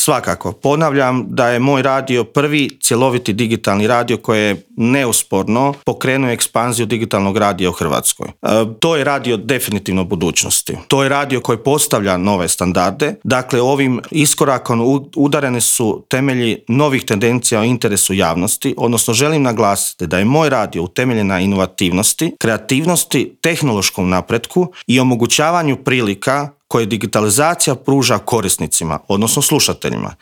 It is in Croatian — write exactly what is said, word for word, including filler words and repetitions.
Svakako. Ponavljam da je moj radio prvi cjeloviti digitalni radio koji je neusporno pokrenuo ekspanziju digitalnog radija u Hrvatskoj. E, to je radio definitivno budućnosti. To je radio koji postavlja nove standarde. Dakle, ovim iskorakom udarene su temelji novih tendencija o interesu javnosti, odnosno želim naglasiti da je moj radio utemeljen na inovativnosti, kreativnosti, tehnološkom napretku i omogućavanju prilika koje digitalizacija pruža korisnicima, odnosno slušateljima.